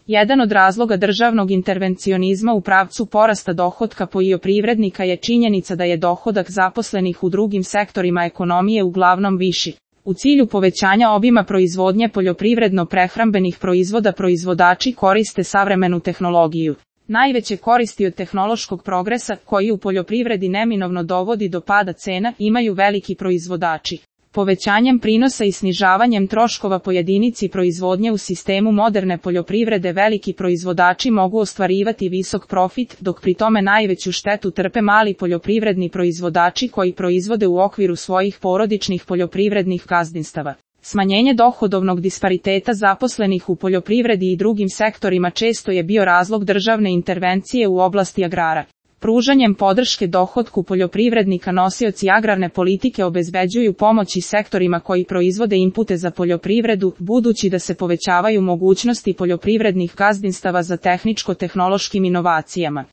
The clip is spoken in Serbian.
Jedan od razloga državnog intervencionizma u pravcu porasta dohotka poljoprivrednika je činjenica da je dohodak zaposlenih u drugim sektorima ekonomije uglavnom viši. U cilju povećanja obima proizvodnje poljoprivredno-prehrambenih proizvoda proizvodači koriste savremenu tehnologiju. Najveće koristi od tehnološkog progresa, koji u poljoprivredi neminovno dovodi do pada cena, imaju veliki proizvodači. Povećanjem prinosa i snižavanjem troškova po jedinici proizvodnje u sistemu moderne poljoprivrede veliki proizvodači mogu ostvarivati visok profit, dok pri tome najveću štetu trpe mali poljoprivredni proizvodači koji proizvode u okviru svojih porodičnih poljoprivrednih gazdinstava. Smanjenje dohodovnog dispariteta zaposlenih u poljoprivredi i drugim sektorima često je bio razlog državne intervencije u oblasti agrara. Pružanjem podrške dohotku poljoprivrednika nosioci agrarne politike obezbeđuju pomoć i sektorima koji proizvode inpute za poljoprivredu, budući da se povećavaju mogućnosti poljoprivrednih gazdinstava za tehničko-tehnološkim inovacijama.